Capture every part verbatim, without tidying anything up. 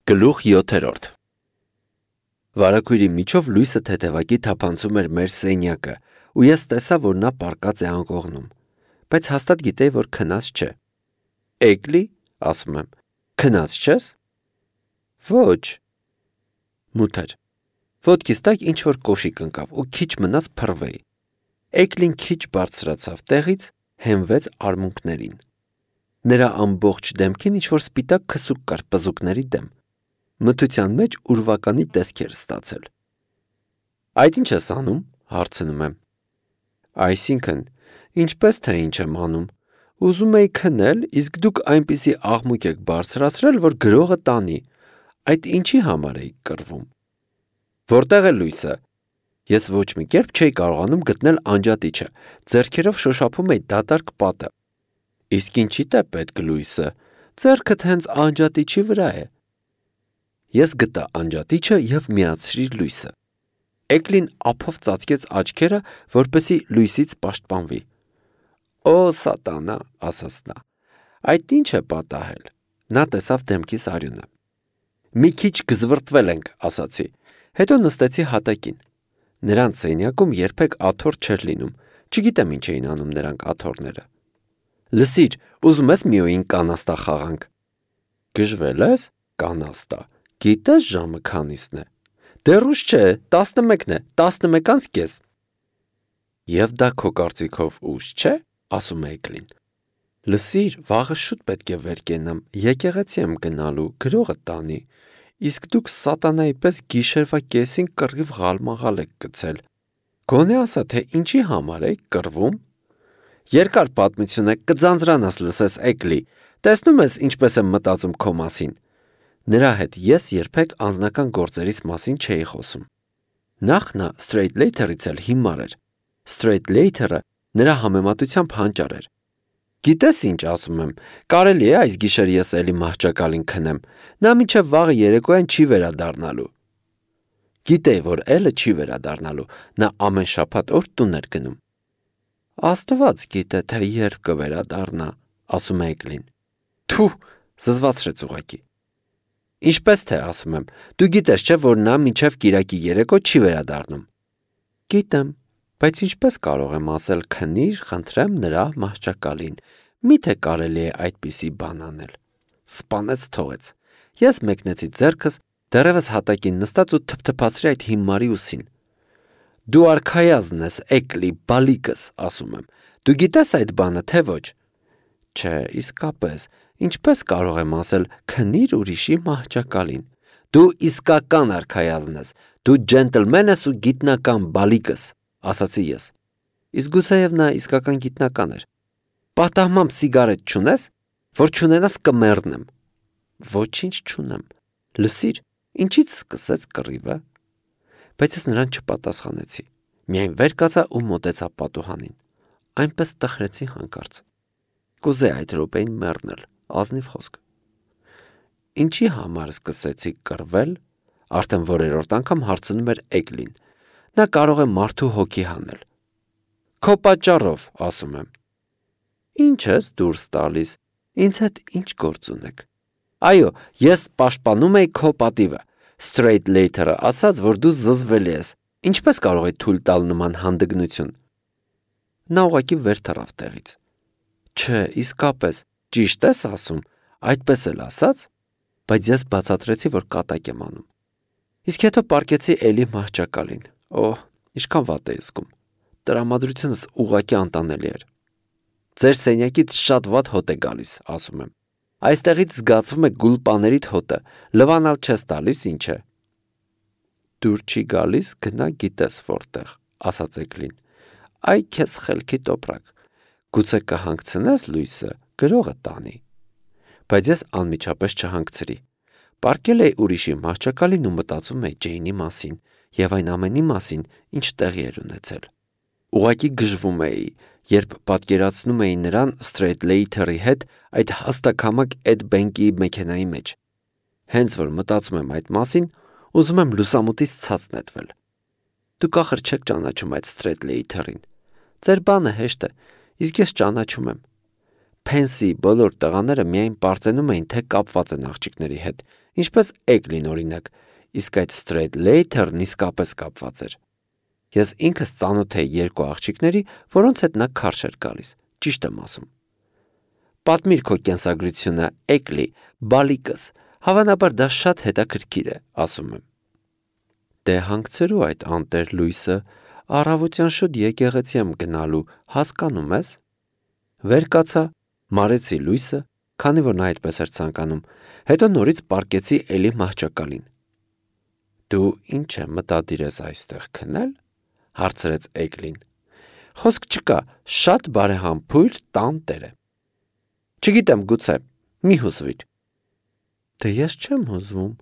Գլուխ յոթերորդ Վարագույրի միջով լույսը թեթևակի թափանցում էր մեր սենյակը, ու ես տեսա, որ նա պառկած է անկողնում, բայց հաստատ գիտեի, որ քնած չէ։ Էգլի, ասում եմ, քնած չես։ Ոչ։ Մութ էր։ Ոտքիս տակ ինչ-որ կոշիկ ընկավ ու քիչ մնաց փռվեի։ Էգլին քիչ բարձրացավ տեղից, հենվեց արմունկներին։ Նրա ամբողջ դեմքին ինչ-որ սպիտակ քսուկ կար պզուկների դեմ։ Մթության մեջ ուրվականի տեսք էր ստացել։ Այդ ինչ ես անում, հարցնում եմ։ Այսինքն, ինչպես թե ինչ եմ անում, ուզում էի քնել, իսկ դուք այնպիսի աղմուկ եք բարձրացրել, որ գրողը տանի, այդ ինչի համար էիք կռվում։ Որտեղ է լույսը։ Ես ոչ մի կերպ չէի կարողանում գտնել անջատիչը, ձեռքերով շոշափում էի դատարկ պատը։ Իսկ ինչի՞դ է պետք լույսը, ձեռքդ հենց անջատիչի վրա է։ Ես գտա անջատիչը և միացրի լույսը։ Էգլին ափով ծածկեց աչքերը, որպեսզի լույսից պաշտպանվի։ Օ, սատանա, ասաց նա, այդ ինչ է պատահել։ Նա տեսավ դեմքիս արյունը։ Մի քիչ գզվռտվել ենք, ասացի, հետո նստեցի հատակին։ Նրանց սենյակում երբեք աթոռ չէր լինում, չգիտեմ ինչ էին անում նրանք աթոռները։ Լսիր, ուզում ես մի օր կանաստա խաղանք։ Գժվել ես, կանաստա։ Գիտես ժամը քանիսն է։ Դեռ ուշ չէ, տասնմեկն է, տասնմեկ անց կես։ Եվ դա քո կարծիքով ուշ չէ, ասում է Էգլին։ Լսիր, վաղը շուտ պետք է վեր կենամ, եկեղեցի եմ գնալու, գրողը տանի, իսկ դուք սատանայի պես գիշերվա կեսին կռիվ ղալմաղալ եք գցել։ Գոնե ասա, թե ինչի համար եք կռվում։ Երկար պատմություն է, կձանձրանաս լսես Էգլի, տեսնում ես ինչպես եմ մտածում քո մասին։ Նրա հետ ես երբեք անձնական գործերիս մասին չէի խոսում։ Նախ նա Straight Later-ից էլ հիմար էր։ Straight Later-ը նրա համեմատությամբ հանճար էր։ Գիտես ինչ ասում եմ, կարելի է այս գիշեր ես էլի մահճակալին քնեմ, նա մինչև վաղը երեկոյան չի վերադառնալու։ Գիտեի, որ էլը չի վերադառնալու, նա ամեն շաբաթ օր տուն էր գնում։ Աստված գիտե, թե երբ կվերադառնա, ասում է Էգլին։ Թու, զզվացրեց ուղղակի։ Ինչպես թե ասում եմ, դու գիտես չէ, որ նա մինչև կիրակի երեկո չի վերադառնում։ Գիտեմ, բայց ինչպես կարող եմ ասել քնիր, խնդրեմ նրա մահճակալին, միթե կարելի է այդպիսի բան անել։ Սպանեց թողեց։ Ես մեկնեցի ձեռքս, դեռևս հատակին նստած ու թփթփացրի այդ հիմարի ուսին։ Դու արքայազն ես, Էգլի, բալիկս, ասում եմ։ Դու գիտես այդ բանը, թե ոչ։ Չէ, իսկապես, ինչպես կարող եմ ասել քնիր ուրիշի մահճակալին։ Դու իսկական արքայազն ես, դու ջենտլմեն ես ու գիտնական բալիկս, ասացի ես։ Իսկ գուցեև նա իսկական գիտնական էր։ Պատահմամբ սիգարետ չունես, որ չունենաս կմեռնեմ։ Ոչինչ չունեմ։ Լսիր, ինչից սկսեց կռիվը։ Բայց ես նրան չպատասխանեցի։ Միայն վեր կացա ու մոտեցա պատուհանին։ Այնպես տխրեցի հանկարծ։ Կուզեի այդ րոպեին մեռնել, ազնիվ խոսք։ Ինչի համար սկսեցիք կռվել, արդեն որերորդ անգամ հարցնում էր Էգլին։ Նա կարող է մարդու հոգի հանել։ Քո պատճառով, ասում եմ։ Ինչ ես դուրս տալիս, ինձ հետ ինչ գործ ունեք։ Այո, ես պաշտպանում էի քո պատիվը։ Straight Later-ը ասաց, որ դու զզվելի ես։ Ինչպես կարող է թույլ տալ նման հանդգնություն։ Նա ուղղակի վեր թռավ տեղից։ Չէ, իսկապես, ճիշտ ես ասում, այդպես էլ ասաց, բայց ես բացատրեցի, որ կատակ եմ անում։ Իսկ հետո պառկեցի էլի մահճակալին։ Օհ, ինչքան վատ էի զգում։ Տրամադրությունս ուղղակի անտանելի էր։ Ձեր սենյակից շատ վատ հոտ է գալիս, ասում եմ։ Այստեղից զգացվում է գուլպաներիդ հոտը, լվանալ չես տալիս, ինչ է։ Դուր չի գալիս, գնա գիտես որտեղ, ասաց Էգլին։ Այ քեզ խելքի տոպրակ։ Գուցե կհանգցնես լույսը, գրողը տանի։ Բայց ես անմիջապես չհանգցրի։ Պառկել էի ուրիշի մահճակալին ու մտածում էի Ջեյնի մասին և այն ամենի մասին, ինչ տեղի էր ունեցել։ Ուղղակի գժվում էի, երբ պատկերացնում էի նրան Straight Later-ի հետ այդ հաստակամակ Էդ Բենկի մեքենայի մեջ։ Հենց որ մտածում եմ այդ մասին, ուզում եմ լուսամուտից ցած նետվել։ Դուք ախր չեք ճանաչում այդ Straight Later-ին։ Ձեր բանը հեշտ է, իսկ ես ճանաչում եմ։ Փենսի բոլոր տղաները միայն պարծենում էին, թե կապված են աղջիկների հետ, ինչպես Էգլին օրինակ, իսկ այդ Straight Later-ն իսկապես կապված էր։ Ես ինքս ծանոթ էի երկու աղջիկների, որոնց հետ նա քարշ էր գալիս, ճիշտ եմ ասում։ Պատմիր քո կենսագրությունը, Էգլի, բալիկս, հավանաբար դա շատ հետաքրքիր է, ասում եմ։ Դե հանգցրու այդ անտեր լույսը, առավոտյան շուտ եկեղեցի եմ գնալու, հասկանում ես։ Վեր կացա, մարեցի լույսը, քանի որ նա այդպես էր ցանկանում, հետո նորից պառկեցի էլի մահճակալին։ Դու ինչ է մտադիր ես այստեղ քնել, հարցրեց Էգլին։ Խոսք չկա, շատ բարեհամբույր տան տեր է։ Չգիտեմ, գուցե, մի հուզվիր։ Դե ես չեմ հուզվում,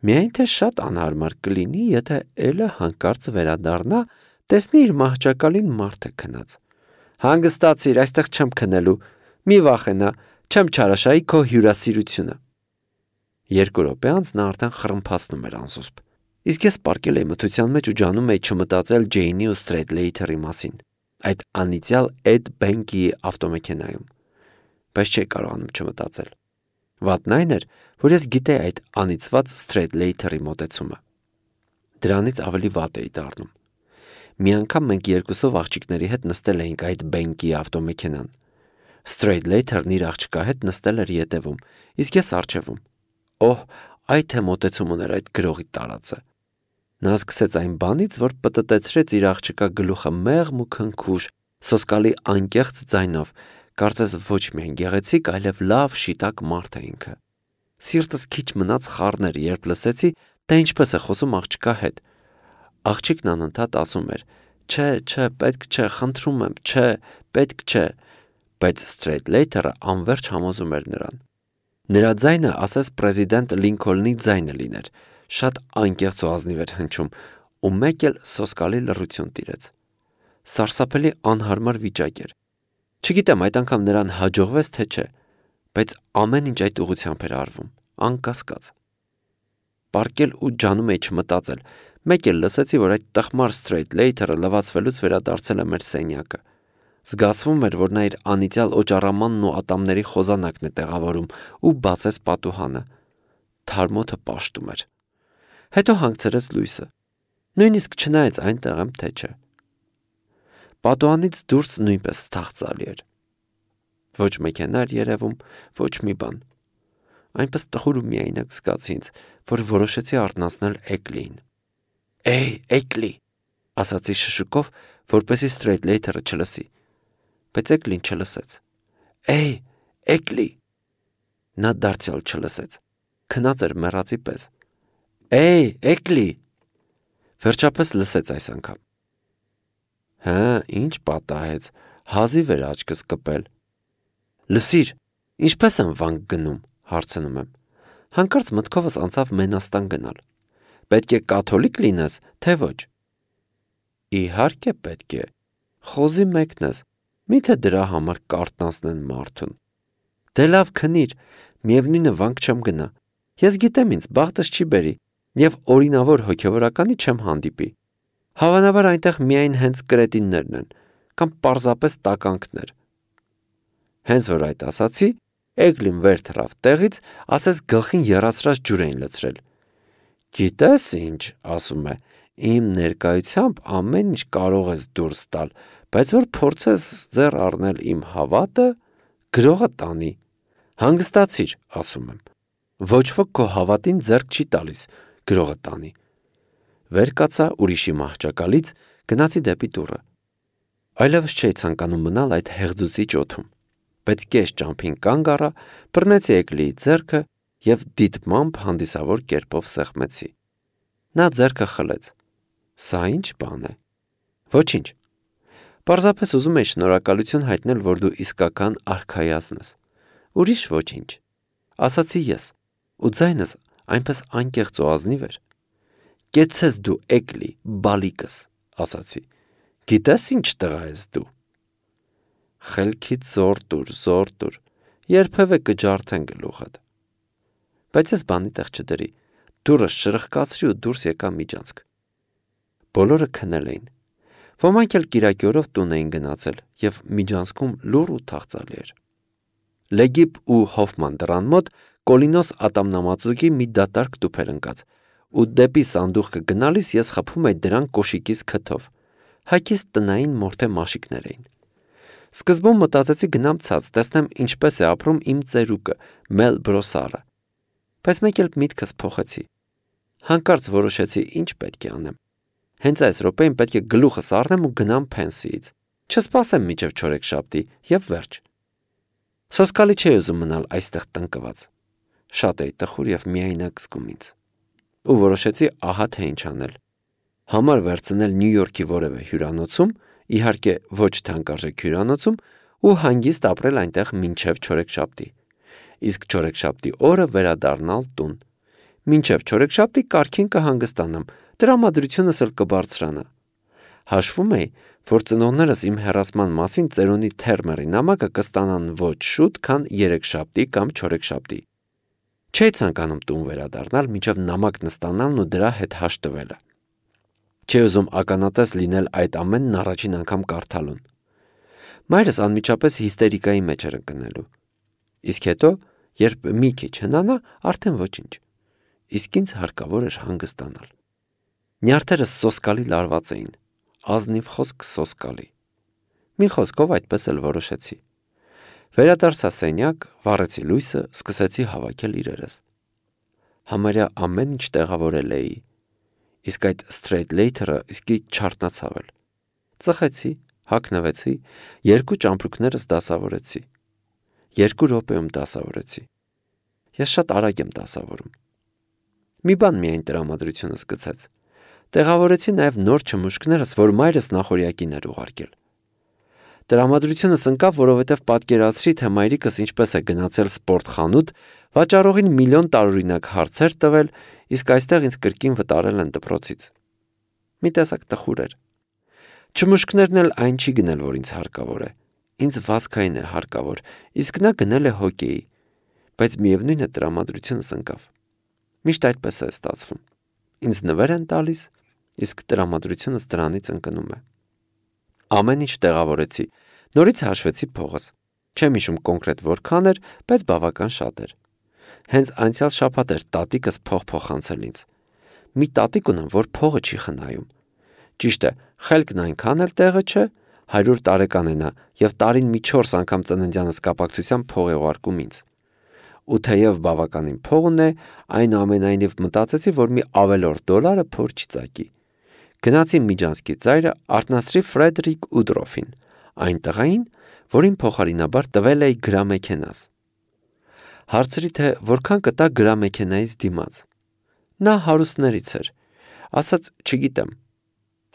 միայն թե շատ անհարմար կլինի, եթե էլը հանկարծ վերադառնա, տեսնի իր մահճակալին մարդ է քնած։ Հանգստացիր, այստեղ չեմ քնելու, մի վախենա, չեմ չարաշահի քո հյուրասիրությունը։ Երկու րոպե անց նա արդեն խռմփացնում էր անզուսպ։ Իսկ ես պառկել էի մթության մեջ ու ջանում էի չմտածել Ջեյնի ու Straight Later-ի մասին, այդ անիծյալ Էդ Բենկիի ավտոմեքենայում, բայց չէի կարողանում չմտածել։ Վատն այն էր, որ ես գիտեի այդ անիծված Straight Later-ի մոտեցումը։ Դրանից ավելի վատ էի դառնում։ Մի անգամ մենք երկուսով աղջիկների հետ նստել էինք այդ Բենկիի ավտոմեքենան։ Straight Later-ն իր աղջկա հետ նստել էր ետևում, իսկ ես առջևում։ Օհ, այ թե մոտեցում ուներ այդ գրողի տարածը։ Նա սկսեց այն բանից, որ պտտեցրեց իր աղջկա գլուխը մեղմ ու քնքուշ, սոսկալի անկեղծ ձայնով, կարծես ոչ միայն գեղեցիկ, այլև լավ շիտակ մարդ է ինքը։ Սիրտս քիչ մնաց խառներ, երբ լսեցի, թե ինչպես է խոսում աղջկա հետ։ Աղջիկն անընդհատ ասում էր. Չէ, չէ, պետք չէ, խնդրում եմ, չէ, պետք չէ, բայց Straight Later-ը անverջ համոզում էր նրան։ Նրա ձայնը ասես պրեզիդենտ Լինքոլնի ձայնը լիներ, շատ անկեղծ ու ազնիվ էր հնչում, ու մեկ էլ սոսկալի լռություն տիրեց։ Սարսափելի անհարմար վիճակ էր։ Չգիտեմ այդ անգամ նրան հաջողվեց թե չէ, բայց ամեն ինչ այդ ուղղությամբ էր արվում, անկասկած։ Պառկել ու ջանում էի չմտածել, մեկ էլ լսեցի, որ այդ տխմար Straight Later-ը լվացվելուց վերադարձել է մեր սենյակը։ Զգացվում էր, որ նա իր անիծյալ օճառամանն ու ատամների խոզանակն է տեղավորում ու բացեց պատուհանը։ Թարմոթը պաշտում էր։ Հետո հանգցրեց լույսը։ Նույնիսկ չնայեց այնտեղ եմ թե չէ։ Պատուհանից դուրս նույնպես թախծալի էր։ Ոչ մեքենա էր երևում, ոչ մի բան։ Այնպես տխուր ու միայնակ զգացի ինձ, որ որոշեցի արթնացնել Էգլիին։ Էй, Էգլի, ասացի շշուկով, որպեսզի Straight Later-ը չլսի, բայց Էգլին չլսեց։ Էй, Էգլի։ Նա դարձյալ չլսեց։ Քնած էր մեռածի պես։ Էй, Էգլի։ Վերջապես լսեց այս անգամ։ Հա, ինչ պատահեց, հազիվ էր աչքս կպել։ Լսիր, ինչպես եմ վանք գնում, հարցնում եմ։ Հանկարծ մտքովս անցավ Մենաստան գնալ։ Պետք է կաթոլիկ լինես, թե ոչ։ Իհարկե պետք է։ Խոզի մեկն ես, միթե դրա համար կարթնացնեն մարդուն։ Դե լավ քնիր, միևնույնը վանք չեմ գնա։ Ես գիտեմ ինձ, բախտս չի բերի, եւ օրինավոր հոգեվորականի չեմ հանդիպի։ Հավանաբար այնտեղ միայն հենց կրետիններն են, կամ պարզապես տականքներ։ Հենց որ այդ ասացի, Էգլին վեր թռավ տեղից, ասես գլխին եռացրած ջուր էին լցրել։ Գիտես ինչ, ասում է, իմ ներկայությամբ ամեն ինչ կարող ես դուրս տալ, բայց որ փորձես ձեռ առնել իմ հավատը, գրողը տանի։ Հանգստացիր, ասում եմ։ Ոչ ոք քո հավատին ձեռք չի տալիս, գրողը տանի։ Վեր կացա ուրիշի մահճակալից, գնացի դեպի դուռը։ Այլևս չէի ցանկանում մնալ այդ հեղձուցիչ օդում, բայց կես ճամփին կանգ առա, բռնեցի Էգլիի ձեռքը եւ դիտմամբ հանդիսավոր կերպով սեղմեցի։ Նա ձեռքը խլեց։ Սա ինչ բան է։ Ոչինչ։ Պարզապես ուզում եի շնորհակալություն հայտնել, որ դու իսկական արքայազն ես։ Ուրիշ ոչինչ։ Ասացի ես, ու ձայնս այնպես անկեղծ ու ազնիվ էր։ Կեցցես դու Էգլի, բալիկս, ասացի։ Գիտես ինչ տղա ես դու։ Խելքից զոր տուր, զոր տուր, երբևէ կջարդեն գլուխդ։ Բայց ես բանի տեղ չդրի, դուրս շրխկացրի ու դուրս եկա միջանցք։ Բոլորը քնել էին։ Ոմանք էլ կիրակի օրով տուն էին գնացել եւ միջանցքում լուռ ու թախծալի էր։ Լեգիպ ու Հոֆման դռան մոտ Կոլինոս ատամնամածուկի մի դատարկ տուփ էր ընկած, ու դեպի սանդուղքը գնալիս ես խփում էի դրան կոշիկից քթով։ Հագիս տնային մորթե մաշիկներ էին։ Սկզբում մտածեցի գնամ ցած, տեսնեմ ինչպես է ապրում իմ ծերուկը, Մել Բրոսարը։ Բայց մեկ էլ միտքս փոխեցի։ Հանկարծ որոշեցի ինչ պետք է անեմ։ Հենց այս րոպեին պետք է գլուխս առնեմ ու գնամ փենսիից։ Չսպասեմ մինչև չորեքշաբթի եւ վերջ։ Սոսկալի չէի ուզում մնալ այստեղ տնկված։ Շատ էի տխուր եւ միայնակ զգում ինձ։ Ու որոշեցի ահա թե ինչ անել։ Համար վերցնել Նյու Յորքի որևէ հյուրանոցում, իհարկե ոչ թանկարժեք հյուրանոցում, ու հանգիստ ապրել այնտեղ մինչև չորեքշաբթի։ Իսկ չորեքշաբթի օրը վերադառնալ տուն։ Մինչև չորեքշաբթի կարգին կհանգստանամ, տրամադրությունս էլ կբարձրանա։ Հաշվում էի, որ ծնողներս իմ հեռացման մասին ծերունի թերմերի նամակը կստանան ոչ շուտ, քան երեքշաբթի կամ չորեքշաբթի։ Չէի ցանկանում տուն վերադառնալ մինչև նամակն ստանալն ու դրա հետ հաշտվելը։ Չէի ուզում ականատես լինել այդ ամենն առաջին անգամ կարդալուն։ Մայրս անմիջապես հիստերիկայի մեջ էր ընկնելու։ Իսկ հետո, երբ մի քիչ հնանա, արդեն ոչինչ։ Իսկ ինձ հարկավոր էր հանգստանալ։ Նյարդերս սոսկալի լարված էին, ազնիվ խոսք սոսկալի։ Մի խոսքով այդպես էլ որոշեցի։ Վերադարձա սենյակ, վառեցի լույսը, սկսեցի հավաքել իրերս։ Համարյա ամեն ինչ տեղավորել էի, իսկ այդ straight later-ը իսկի չարտնացավ էլ։ Ծխեցի, հագնվեցի, երկու ճամպրուկներս դասավորեցի։ Երկու րոպեում դասավորեցի։ Ես շատ արագ եմ դասավորում։ Մի բան միայն տրամադրությունս գցեց։ Տեղավորեցի նաև նոր չմուշկներս, որ մայրս նախորյակին էր ուղարկել։ Տրամադրությունս ընկավ, որովհետև պատկերացրի, թե մայրիկս ինչպես է գնացել սպորտխանութ, վաճառողին միլիոն տարօրինակ հարցեր տվել, իսկ այստեղ ինձ կրկին վտարել են դպրոցից։ Մի տեսակ տխուր էր։ Չմուշկներն էլ այն չի գնել, որ ինձ հարկավոր է։ Ինձ վազքային է հարկավոր, իսկ նա գնել է հոկեյի, բայց միևնույն է տրամադրությունս ընկավ։ Միշտ այդպես է ստացվում։ Ինձ նվեր են տալիս, իսկ տրամադրությունս դրանից ընկնում է։ Ամեն ինչ տեղավորեցի, նորից հաշվեցի փողս։ Չեմ հիշում կոնկրետ որքան էր, բայց բավական շատ էր։ Հենց անցյալ շաբաթ էր տատիկս փող փոխանցել ինձ։ Մի տատիկ ունեմ, որ փողը չի խնայում։ Ճիշտ է, խելքն այնքան էլ տեղը չէ, հարյուր տարեկան է նա եւ տարին մի չորս անգամ ծննդյանս կապակցությամբ փող է ուղարկում ինձ։ Ու թեև բավականին փող ունե, այնուամենայնիվ մտածեցի, որ մի ավելորդ դոլարը փոր չի ծակի։ Գնացի Միջանցքի ծայրը արթնացրի Ֆրեդերիկ Ուդրոֆին, այն տղային, որին փոխարինաբար տվել էի գրամեքենաս։ Հարցրի, թե որքան կտա գրամեքենայից դիմաց։ Նա հարուստներից էր, ասաց չգիտեմ,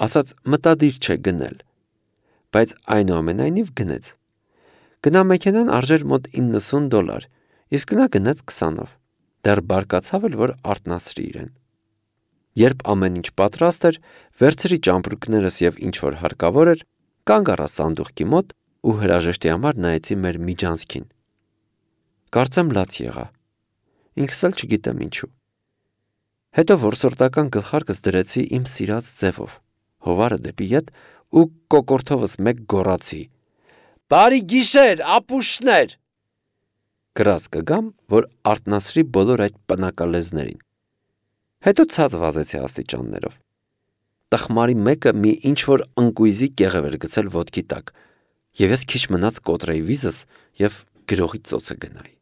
ասաց մտադիր չէ գնել, բայց այնուամենայնիվ գնեց։ Գնամեքենան արժեր մոտ իննսուն դոլար, իսկ նա գնաց քսանով, դեռ բարկացավ էլ, որ արթնացրի իրեն։ Երբ ամեն ինչ պատրաստ էր, վերցրի ճամպրուկներս եւ ինչ որ հարկավոր էր, կանգ առա սանդուղքի մոտ ու հրաժեշտի համար նայեցի մեր Միջանցքին։ Կարծեմ լաց եղա։ Ինքս էլ չգիտեմ ինչու։ Հետո որսորդական գլխարկս դրեցի իմ սիրած ձևով, հովարը դեպի ետ ու կոկորթովս մեկ գոռացի. «Բարի գիշեր, ապուշներ»։ Գրած կգամ, որ արթնացրի բոլոր այդ պնակալեզներին։ Հետո ցած վազեցի աստիճաններով։ Տխմարի մեկը մի ինչ-որ ընկույզի կեղև էր գցել ոտքի տակ, եւ ես քիչ մնաց կոտրեի վիզս եւ գրողի ծոցը գնայի։